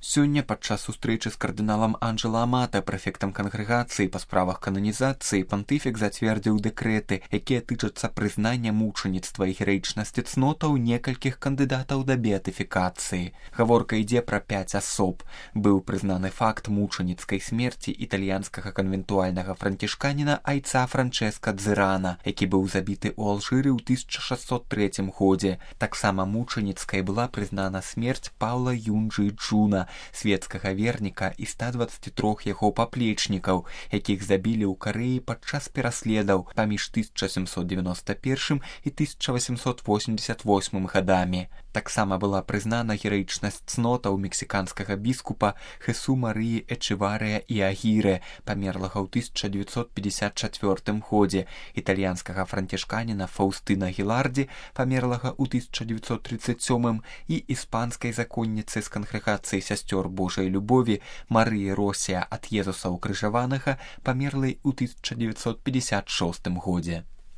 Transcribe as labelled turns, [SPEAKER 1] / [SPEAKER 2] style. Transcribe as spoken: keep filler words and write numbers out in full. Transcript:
[SPEAKER 1] Сёння падчас сустрэчы з кардыналам Анджела Амата, прэфектам кангрэгацыі па справах кананізацыі, пантыфік зацвердзіў дэкрэты, якія тычацца прызнання мучаніцтва і гераічнасці цнотаў некалькіх кандыдатаў да беатыфікацыі. Гаворка ідзе пра пяць асоб. Быў прызнаны факт мучаніцкай смерці італьянскага канвентуальнага францішканіна айца Франчэска Дзырана, які быў забіты ў Алжыры ў тысяча шасцьсот трэцім годзе. Таксама мучаніцкай была прызнана смерць Паўла Юнджы Джуна, светскага верніка і ста дваццаці трох яго паплечнікаў, якіх забілі ў Карэі падчас пераследаў паміж тысяча сямсот дзевяноста першым і тысяча васемсот восемьдесят восьмым гадамі. Таксама была прызнана гераічнасць цнотаў мексіканскага біскупа Хесу Марыі Эчеварыя і Агірэ, памерлага ў тысяча дзевяцьсот пятьдесят чацвёртым годзе, італьянскага францішканіна Фаўстына Гілардзі, памерлага ў тысяча дзевяцьсот трыццаць сёмым, і іспанскай законніцы з кангрэгацыі сясцёр Божай любові Марыі Росія ад Езуса ўкрыжаванага, памерлай у тысяча дзевяцьсот пятьдесят шостым годзе.